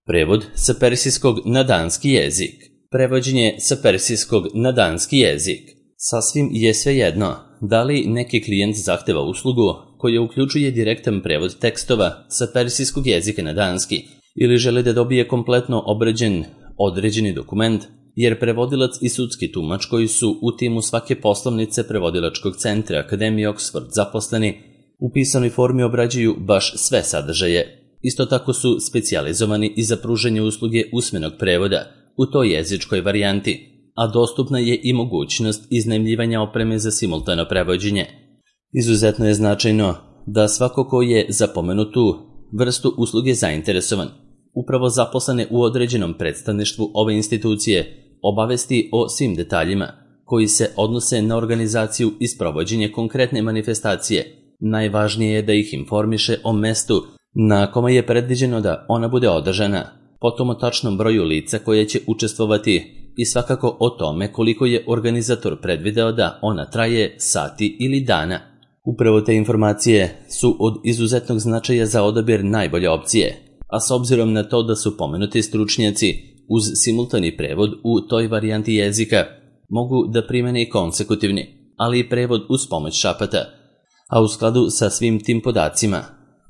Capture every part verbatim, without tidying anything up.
Prevod sa persijskog na danski jezik. Prevođenje sa persijskog na danski jezik. Sasvim je svejedno da li neki klijent zahteva uslugu koja uključuje direktan prevod tekstova sa persijskog jezika na danski ili želi da dobije kompletno obrađen određeni dokument, jer prevodilac i sudski tumač koji su u timu svake poslovnice prevodilačkog centra Akademije Oxford zaposleni u pisanoj formi obrađuju baš sve sadržaje. Isto tako su specijalizovani i za pružanje usluge usmenog prevoda u toj jezičkoj varijanti, a dostupna je i mogućnost iznajmljivanja opreme za simultano prevođenje. Izuzetno je značajno da svako ko je za pomenutu vrstu usluge zainteresovan, upravo zaposlene u određenom predstavništvu ove institucije, obavesti o svim detaljima koji se odnose na organizaciju i sprovođenje konkretne manifestacije. Najvažnije je da ih informiše o mestu na kome je predviđeno da ona bude održana, potom o tačnom broju lica koje će učestvovati i svakako o tome koliko je organizator predvideo da ona traje sati ili dana. Upravo te informacije su od izuzetnog značaja za odabir najbolje opcije, a s obzirom na to da su pomenuti stručnjaci uz simultani prevod u toj varijanti jezika mogu da primene i konsekutivni, ali i prevod uz pomoć šapata, a u skladu sa svim tim podacima,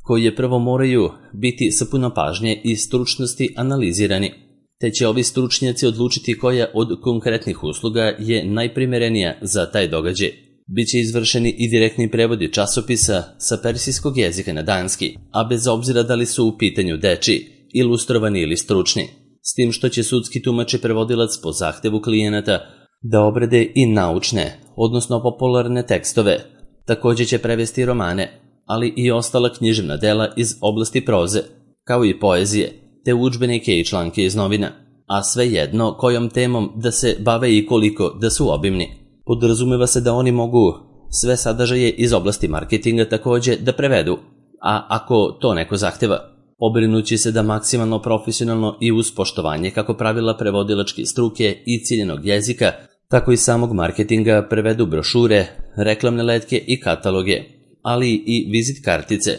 koji prvo moraju biti sa puno pažnje i stručnosti analizirani, te će ovi stručnjaci odlučiti koja od konkretnih usluga je najprimerenija za taj događaj. Biće izvršeni i direktni prevodi časopisa sa persijskog jezika na danski, a bez obzira da li su u pitanju dečiji, ilustrovani ili stručni, s tim što će sudski tumač i prevodilac po zahtevu klijenata da obrade i naučne, odnosno popularne tekstove. Također će prevesti romane, ali i ostala književna dela iz oblasti proze, kao i poezije, te udžbenike i članke iz novina, a svejedno kojom temom da se bave i koliko da su obimni. Podrazumeva se da oni mogu sve sadržaje iz oblasti marketinga također da prevedu, a ako to neko zahteva, pobrinući se da maksimalno profesionalno i uz poštovanje kako pravila prevodilačke struke i ciljenog jezika, tako i samog marketinga prevedu brošure, reklamne letke i kataloge, ali i vizit kartice,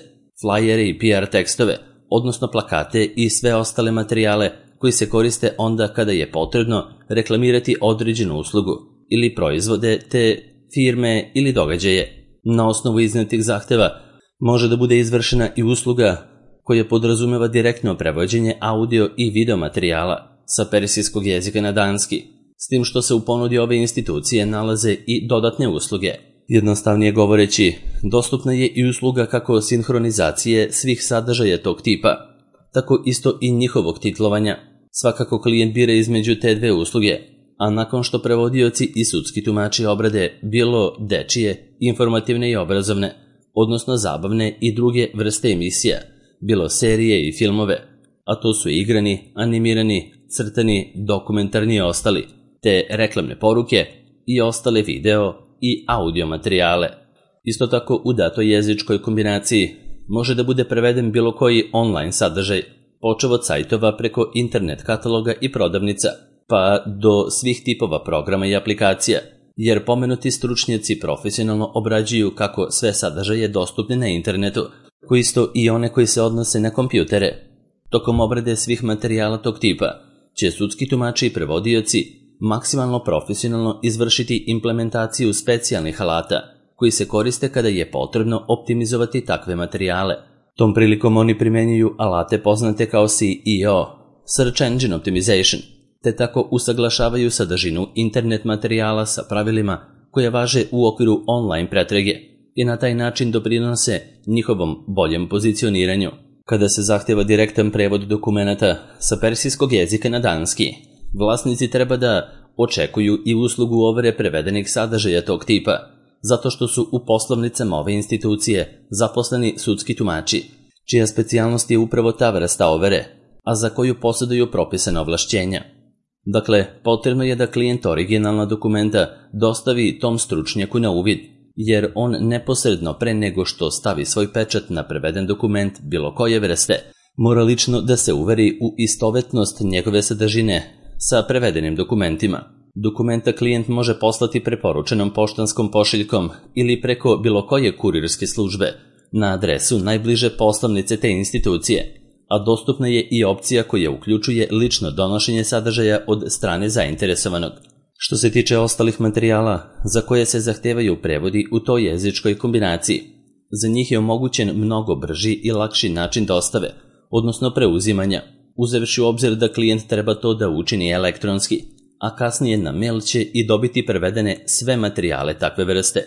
flajere i P R tekstove, odnosno plakate i sve ostale materijale koji se koriste onda kada je potrebno reklamirati određenu uslugu ili proizvode te firme ili događaje. Na osnovu iznetih zahteva može da bude izvršena i usluga koja podrazumeva direktno prevođenje audio i video materijala sa persijskog jezika na danski, s tim što se u ponudi ove institucije nalaze i dodatne usluge. Jednostavnije govoreći, dostupna je i usluga kako sinhronizacije svih sadržaja tog tipa, tako isto i njihovog titlovanja. Svakako klijent bira između te dve usluge, a nakon što prevodioci i sudski tumači obrade bilo dečije, informativne i obrazovne, odnosno zabavne i druge vrste emisija, bilo serije i filmove, a to su igrani, animirani, crtani, dokumentarni i ostali, te reklamne poruke i ostale video i audio materijale. Isto tako u datoj jezičkoj kombinaciji može da bude preveden bilo koji online sadržaj, počev od sajtova preko internet kataloga i prodavnica, pa do svih tipova programa i aplikacija, jer pomenuti stručnjaci profesionalno obrađuju kako sve sadržaje dostupne na internetu, koji isto i one koji se odnose na kompjutere. Tokom obrade svih materijala tog tipa će sudski tumači i prevodioci maksimalno profesionalno izvršiti implementaciju specijalnih alata koji se koriste kada je potrebno optimizovati takve materijale. Tom prilikom oni primjenjuju alate poznate kao S E O, Search Engine Optimization, te tako usaglašavaju sadržinu internet materijala sa pravilima koje važe u okviru online pretrage i na taj način doprinose njihovom boljem pozicioniranju. Kada se zahteva direktan prevod dokumenata sa persijskog jezika na danski, vlasnici treba da očekuju i uslugu overe prevedenih sadržaja tog tipa, zato što su u poslovnicama ove institucije zaposleni sudski tumači, čija specijalnost je upravo ta vrsta overe, a za koju posjeduju propisane ovlašćenja. Dakle, potrebno je da klijent originalna dokumenta dostavi tom stručnjaku na uvid, jer on neposredno pre nego što stavi svoj pečat na preveden dokument bilo koje vrste, mora lično da se uveri u istovetnost njegove sadržine sa prevedenim dokumentima. Dokumenta klijent može poslati preporučenom poštanskom pošiljkom ili preko bilo koje kurirske službe na adresu najbliže poslovnice te institucije, a dostupna je i opcija koja uključuje lično donošenje sadržaja od strane zainteresovanog. Što se tiče ostalih materijala za koje se zahtevaju prevodi u toj jezičkoj kombinaciji, za njih je omogućen mnogo brži i lakši način dostave, odnosno preuzimanja, uzevši u obzir da klijent treba to da učini elektronski, a kasnije na mail će i dobiti prevedene sve materijale takve vrste.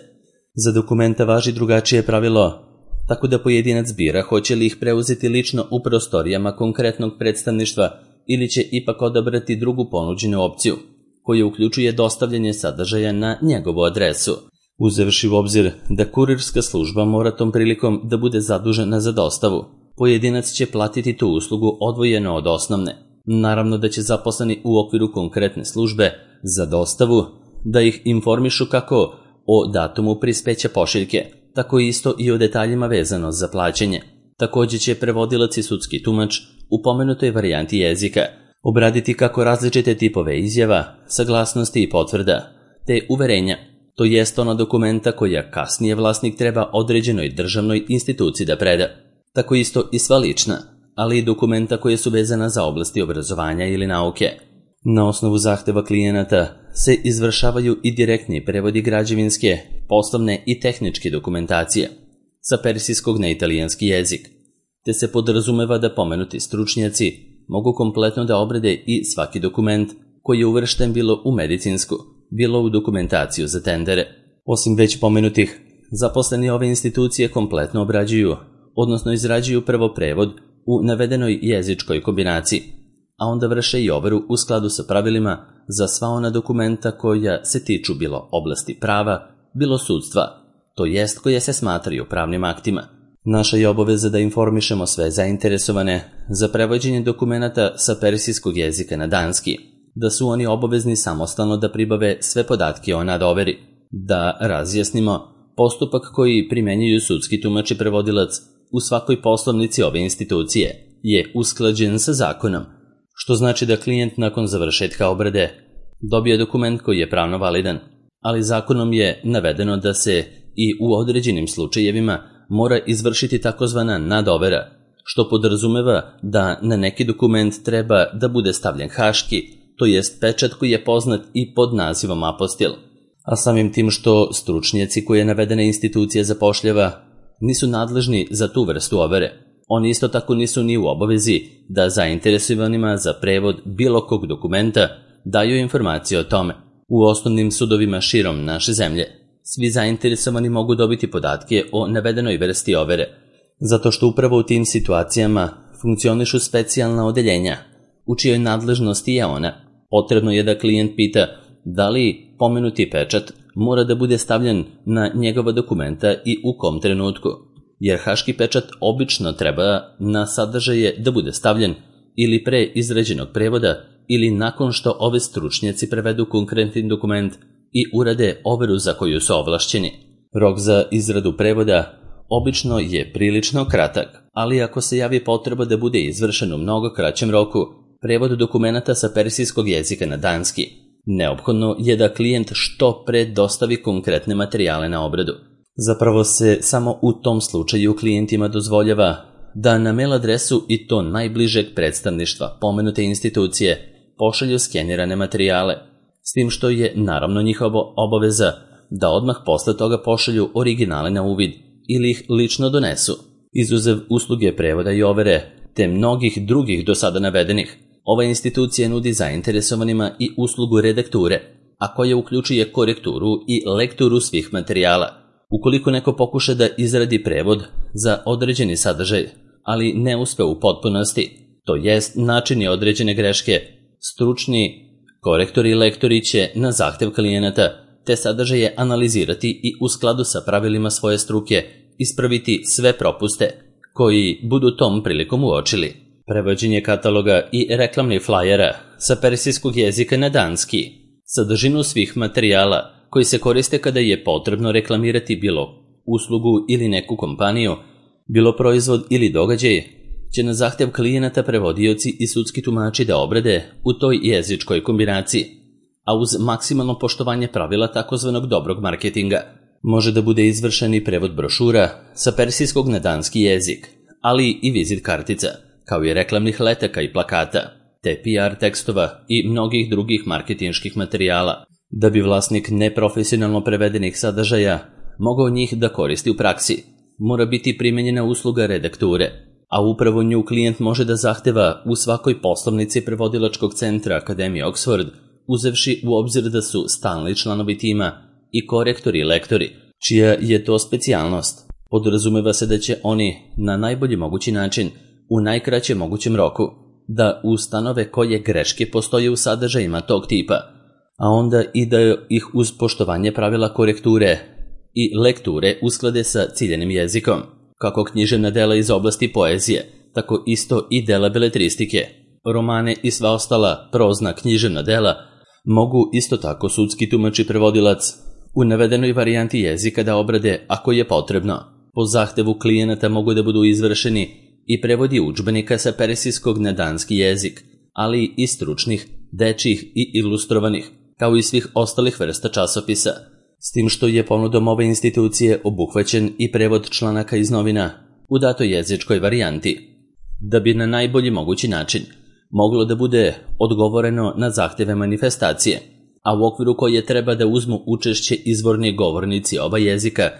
Za dokumenta važi drugačije pravilo, tako da pojedinac bira hoće li ih preuzeti lično u prostorijama konkretnog predstavništva ili će ipak odabrati drugu ponuđenu opciju, koja uključuje dostavljanje sadržaja na njegovu adresu, uzevši u obzir da kurirska služba mora tom prilikom da bude zadužena za dostavu. Pojedinac će platiti tu uslugu odvojeno od osnovne. Naravno da će zaposleni u okviru konkretne službe za dostavu da ih informišu kako o datumu prispeća pošiljke, tako isto i o detaljima vezano za plaćanje. Također će prevodilac i sudski tumač u pomenutoj varijanti jezika obraditi kako različite tipove izjava, saglasnosti i potvrda, te uverenja, to jest ona dokumenta koja kasnije vlasnik treba određenoj državnoj instituciji da preda. Tako isto i sva lična, ali i dokumenta koje su vezana za oblasti obrazovanja ili nauke. Na osnovu zahteva klijenata se izvršavaju i direktni prevodi građevinske, poslovne i tehničke dokumentacije sa persijskog na italijanski jezik, te se podrazumeva da pomenuti stručnjaci mogu kompletno da obrade i svaki dokument koji je uvršten bilo u medicinsku, bilo u dokumentaciju za tendere. Osim već pomenutih, zaposleni ove institucije kompletno obrađuju, odnosno izrađuju prvo prevod u navedenoj jezičkoj kombinaciji, a onda vrše i overu u skladu sa pravilima za sva ona dokumenta koja se tiču bilo oblasti prava, bilo sudstva, to jest koje se smatraju pravnim aktima. Naša je obaveza da informišemo sve zainteresovane za prevođenje dokumenata sa persijskog jezika na danski, da su oni obavezni samostalno da pribave sve podatke o nadoveri, da razjasnimo postupak koji primenjuju sudski tumač i prevodilac u svakoj poslovnici ove institucije je usklađen sa zakonom, što znači da klijent nakon završetka obrade dobije dokument koji je pravno validan, ali zakonom je navedeno da se i u određenim slučajevima mora izvršiti takozvana nadovera, što podrazumeva da na neki dokument treba da bude stavljen haški, to jest pečat koji je poznat i pod nazivom apostil, a samim tim što stručnjaci koje navedene institucije zapošljava nisu nadležni za tu vrstu overe. Oni isto tako nisu ni u obavezi da zainteresovanima za prevod bilo kog dokumenta daju informacije o tome. U osnovnim sudovima širom naše zemlje svi zainteresovani mogu dobiti podatke o navedenoj vrsti overe, zato što upravo u tim situacijama funkcionišu specijalna odeljenja, u čijoj nadležnosti je ona. Potrebno je da klijent pita da li pomenuti pečat mora da bude stavljen na njegova dokumenta i u kom trenutku, jer haški pečat obično treba na sadržaje da bude stavljen ili pre izrađenog prevoda ili nakon što ove stručnjaci prevedu konkretni dokument i urade overu za koju su ovlašćeni. Rok za izradu prevoda obično je prilično kratak, ali ako se javi potreba da bude izvršen u mnogo kraćem roku, prevod dokumenata sa persijskog jezika na danski, neophodno je da klijent što pre dostavi konkretne materijale na obradu. Zapravo se samo u tom slučaju klijentima dozvoljava da na mail adresu i to najbližeg predstavništva pomenute institucije pošalju skenirane materijale, s tim što je naravno njihova obaveza da odmah posle toga pošalju originale na uvid ili ih lično donesu. Izuzev usluge prevoda i overe, te mnogih drugih do sada navedenih, ova institucija nudi zainteresovanima i uslugu redakture, a koja uključuje korekturu i lekturu svih materijala. Ukoliko neko pokuša da izradi prevod za određeni sadržaj, ali ne uspe u potpunosti, to jest načini određene greške, stručni korektori i lektori će na zahtev klijenata te sadržaje analizirati i u skladu sa pravilima svoje struke ispraviti sve propuste koji budu tom prilikom uočili. Prevođenje kataloga i reklamnih flajera sa persijskog jezika na danski, sadržinu svih materijala koji se koriste kada je potrebno reklamirati bilo uslugu ili neku kompaniju, bilo proizvod ili događaj, će na zahtev klijenata prevodioci i sudski tumači da obrade u toj jezičkoj kombinaciji, a uz maksimalno poštovanje pravila takozvanog dobrog marketinga. Može da bude izvršen i prevod brošura sa persijskog na danski jezik, ali i vizit kartica, kao i reklamnih letaka i plakata, te P R tekstova i mnogih drugih marketinških materijala, da bi vlasnik neprofesionalno prevedenih sadržaja mogao njih da koristi u praksi. Mora biti primenjena usluga redakture, a upravo nju klijent može da zahteva u svakoj poslovnici prevodilačkog centra Akademije Oxford, uzevši u obzir da su stalni članovi tima i korektori i lektori, čija je to specijalnost. Podrazumeva se da će oni na najbolji mogući način, u najkraćem mogućem roku, da ustanove koje greške postoje u sadržajima tog tipa, a onda i da ih uz poštovanje pravila korekture i lekture usklade sa ciljanim jezikom, kako književna dela iz oblasti poezije, tako isto i dela beletristike. Romane i sva ostala prozna književna dela mogu isto tako sudski tumač i prevodilac u navedenoj varijanti jezika da obrade ako je potrebno. Po zahtevu klijenata mogu da budu izvršeni i prevodi udžbenika sa persijskog na danski jezik, ali i stručnih, dečjih i ilustrovanih, kao i svih ostalih vrsta časopisa, s tim što je ponudom ove institucije obuhvaćen i prevod članaka iz novina u datoj jezičkoj varijanti, da bi na najbolji mogući način moglo da bude odgovoreno na zahteve manifestacije, a u okviru koje treba da uzmu učešće izvorni govornici oba jezika,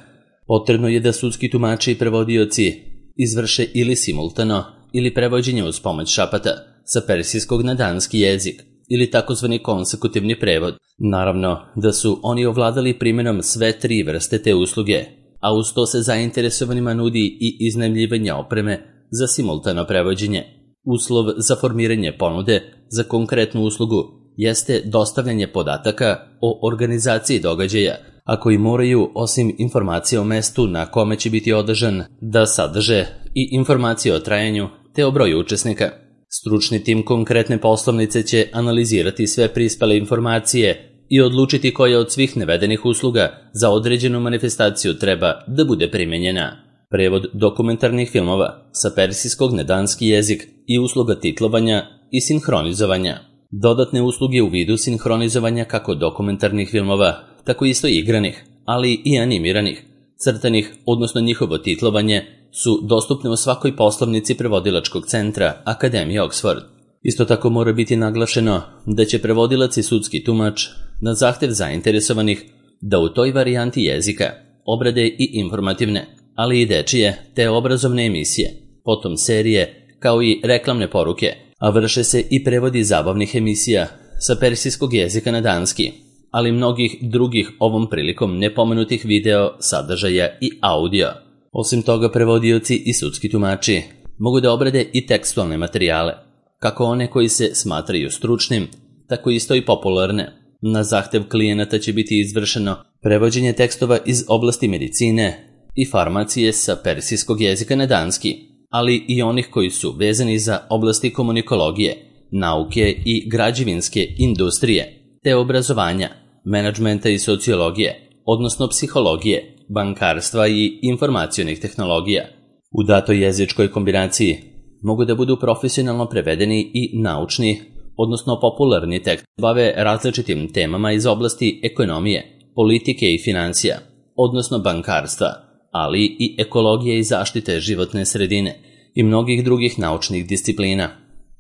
potrebno je da sudski tumači i prevodioci izvrše ili simultano ili prevođenje uz pomoć šapata sa persijskog na danski jezik ili takozvani konsekutivni prevod. Naravno da su oni ovladali primjenom sve tri vrste te usluge, a uz to se zainteresovanima nudi i iznajmljivanje opreme za simultano prevođenje. Uslov za formiranje ponude za konkretnu uslugu jeste dostavljanje podataka o organizaciji događaja, a koji moraju, osim informacije o mestu na kome će biti održan, da sadrže i informacije o trajanju te o broju učesnika. Stručni tim konkretne poslovnice će analizirati sve prispele informacije i odlučiti koja od svih navedenih usluga za određenu manifestaciju treba da bude primenjena. Prevod dokumentarnih filmova sa persijskog na danski jezik i usluga titlovanja i sinhronizovanja. Dodatne usluge u vidu sinhronizovanja kako dokumentarnih filmova, tako isto i igranih, ali i animiranih, crtanih, odnosno njihovo titlovanje, su dostupne u svakoj poslovnici prevodilačkog centra Akademije Oxford. Isto tako mora biti naglašeno da će prevodilac i sudski tumač na zahtev zainteresovanih da u toj varijanti jezika obrade i informativne, ali i dečije te obrazovne emisije, potom serije, kao i reklamne poruke, a vrše se i prevodi zabavnih emisija sa persijskog jezika na danski, ali mnogih drugih ovom prilikom nepomenutih video, sadržaja i audio. Osim toga, prevodioci i sudski tumači mogu da obrade i tekstualne materijale, kako one koji se smatraju stručnim, tako isto i popularne. Na zahtev klijenata će biti izvršeno prevođenje tekstova iz oblasti medicine i farmacije sa persijskog jezika na danski, ali i onih koji su vezani za oblasti komunikologije, nauke i građevinske industrije, te obrazovanja, menadžmenta i sociologije, odnosno psihologije, bankarstva i informacionih tehnologija. U datoj jezičkoj kombinaciji mogu da budu profesionalno prevedeni i naučni, odnosno popularni tekst, bave različitim temama iz oblasti ekonomije, politike i financija, odnosno bankarstva, ali i ekologije i zaštite životne sredine i mnogih drugih naučnih disciplina.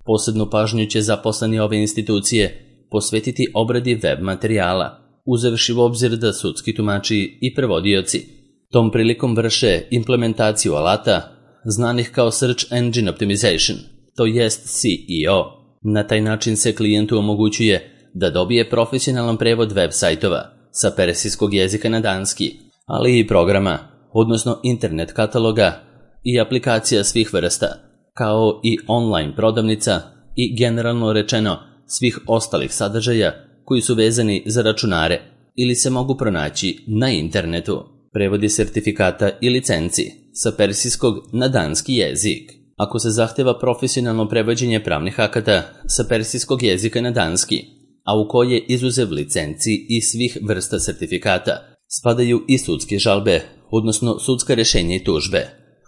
Posebnu pažnju će zaposleni ove institucije posvetiti obradi web materijala, uzevši u obzir da sudski tumači i prevodioci tom prilikom vrše implementaciju alata znanih kao Search Engine Optimization, to jest C E O. Na taj način se klijentu omogućuje da dobije profesionalan prevod web sajtova sa persijskog jezika na danski, ali i programa, odnosno internet kataloga i aplikacija svih vrsta, kao i online prodavnica i generalno rečeno svih ostalih sadržaja koji su vezani za računare ili se mogu pronaći na internetu. Prevodi sertifikata i licenci sa persijskog na danski jezik. Ako se zahteva profesionalno prevođenje pravnih akata sa persijskog jezika na danski, a u koje izuzev licenci i svih vrsta sertifikata spadaju i sudske žalbe, odnosno sudska rješenja i tužbe,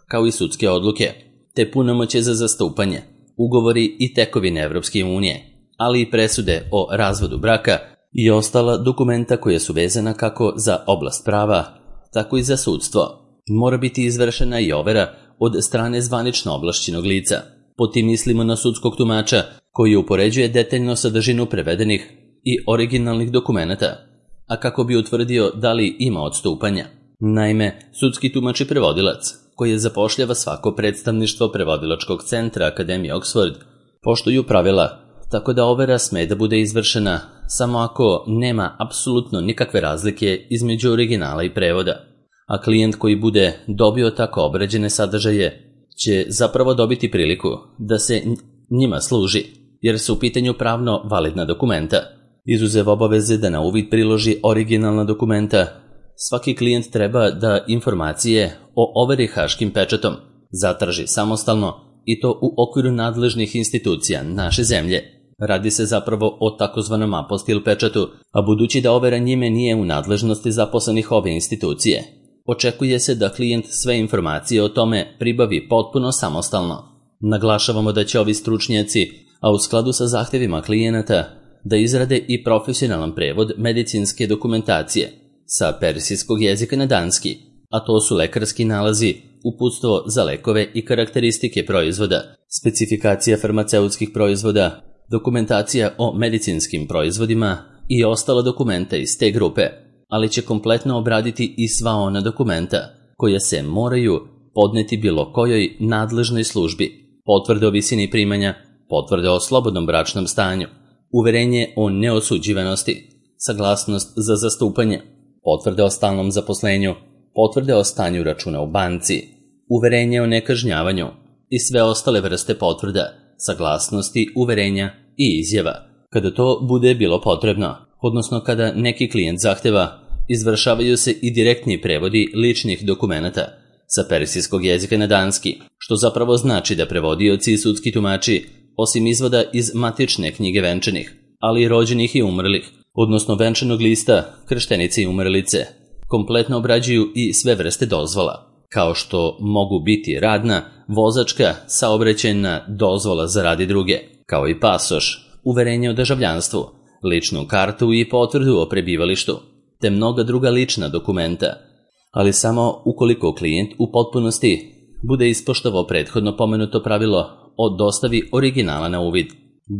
kao i sudske odluke, te punomoćje za zastupanje, ugovori i tekovine Evropske unije, ali i presude o razvodu braka i ostala dokumenta koja su vezana kako za oblast prava, tako i za sudstvo. Mora biti izvršena i overa od strane zvanično ovlašćenog lica. Pod tim mislimo na sudskog tumača koji upoređuje detaljno sadržinu prevedenih i originalnih dokumenata, a kako bi utvrdio da li ima odstupanja. Naime, sudski tumač i prevodilac, koje zapošljava svako predstavništvo prevodilačkog centra Akademije Oxford, poštuju pravila, tako da overa sme da bude izvršena samo ako nema apsolutno nikakve razlike između originala i prevoda. A klijent koji bude dobio tako obrađene sadržaje će zapravo dobiti priliku da se njima služi, jer su u pitanju pravno validna dokumenta. Izuzev obaveze da na uvid priloži originalna dokumenta, svaki klijent treba da informacije o overi haškim pečatom zatraži samostalno i to u okviru nadležnih institucija naše zemlje. Radi se zapravo o takozvanom apostil pečatu, a budući da overa njime nije u nadležnosti zaposlenih ove institucije, očekuje se da klijent sve informacije o tome pribavi potpuno samostalno. Naglašavamo da će ovi stručnjaci, a u skladu sa zahtevima klijenata, da izrade i profesionalan prevod medicinske dokumentacije sa persijskog jezika na danski, a to su lekarski nalazi, uputstvo za lekove i karakteristike proizvoda, specifikacija farmaceutskih proizvoda, dokumentacija o medicinskim proizvodima i ostala dokumenta iz te grupe, ali će kompletno obraditi i sva ona dokumenta koja se moraju podneti bilo kojoj nadležnoj službi, potvrde o visini primanja, potvrde o slobodnom bračnom stanju, uverenje o neosuđivanosti, saglasnost za zastupanje, potvrde o stalnom zaposlenju, potvrde o stanju računa u banci, uverenje o nekažnjavanju i sve ostale vrste potvrda, saglasnosti, uverenja i izjava. Kada to bude bilo potrebno, odnosno kada neki klijent zahteva, izvršavaju se i direktni prevodi ličnih dokumenata sa persijskog jezika na danski, što zapravo znači da prevodioci i sudski tumači, osim izvoda iz matične knjige venčanih, ali i rođenih i umrlih, odnosno venčanog lista, krštenice i umrlice, kompletno obrađuju i sve vrste dozvola, kao što mogu biti radna, vozačka, saobraćajna dozvola za rad i druge, kao i pasoš, uverenje o državljanstvu, ličnu kartu i potvrdu o prebivalištu, te mnoga druga lična dokumenta, ali samo ukoliko klijent u potpunosti bude ispoštovao prethodno pomenuto pravilo o dostavi originala na uvid,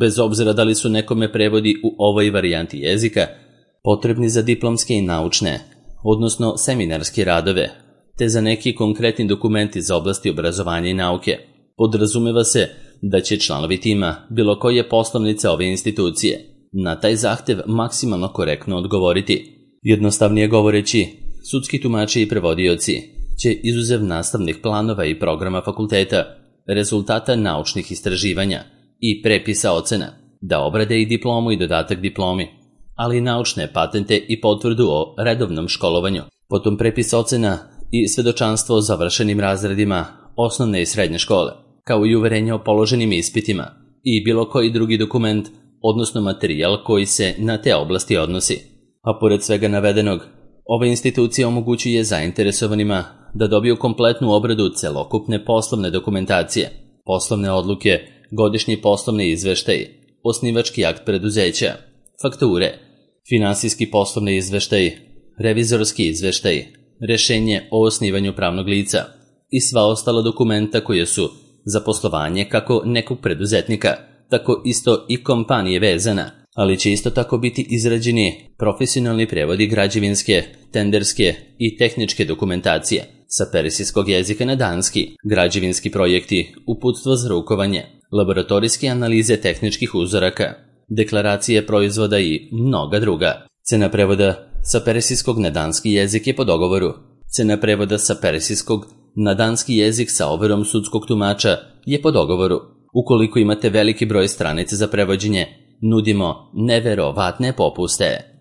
bez obzira da li su nekome prevodi u ovoj varijanti jezika potrebni za diplomske i naučne, odnosno seminarske radove, te za neki konkretni dokumenti za oblasti obrazovanja i nauke. Podrazumeva se da će članovi tima bilo koje poslovnice ove institucije na taj zahtev maksimalno korektno odgovoriti. Jednostavnije govoreći, sudski tumači i prevodioci će izuzev nastavnih planova i programa fakulteta, rezultata naučnih istraživanja i prepisa ocena, da obrade i diplomu i dodatak diplomi, ali i naučne patente i potvrdu o redovnom školovanju, potom prepis ocena i svedočanstvo o završenim razredima osnovne i srednje škole, kao i uverenje o položenim ispitima i bilo koji drugi dokument, odnosno materijal koji se na te oblasti odnosi. A pored svega navedenog, ova institucija omogućuje zainteresovanima da dobiju kompletnu obradu celokupne poslovne dokumentacije, poslovne odluke, godišnji poslovni izveštaj, osnivački akt preduzeća, fakture, finansijski poslovni izveštaj, revizorski izveštaj, rešenje o osnivanju pravnog lica i sva ostala dokumenta koje su za poslovanje kako nekog preduzetnika, tako isto i kompanije vezana, ali će isto tako biti izrađeni profesionalni prevodi građevinske, tenderske i tehničke dokumentacije sa persijskog jezika na danski, građevinski projekti, uputstvo za rukovanje, laboratorijske analize tehničkih uzoraka, deklaracije proizvoda i mnoga druga. Cena prevoda sa persijskog na danski jezik je po dogovoru. Cena prevoda sa persijskog na danski jezik sa overom sudskog tumača je po dogovoru. Ukoliko imate veliki broj stranica za prevođenje, nudimo neverovatne popuste.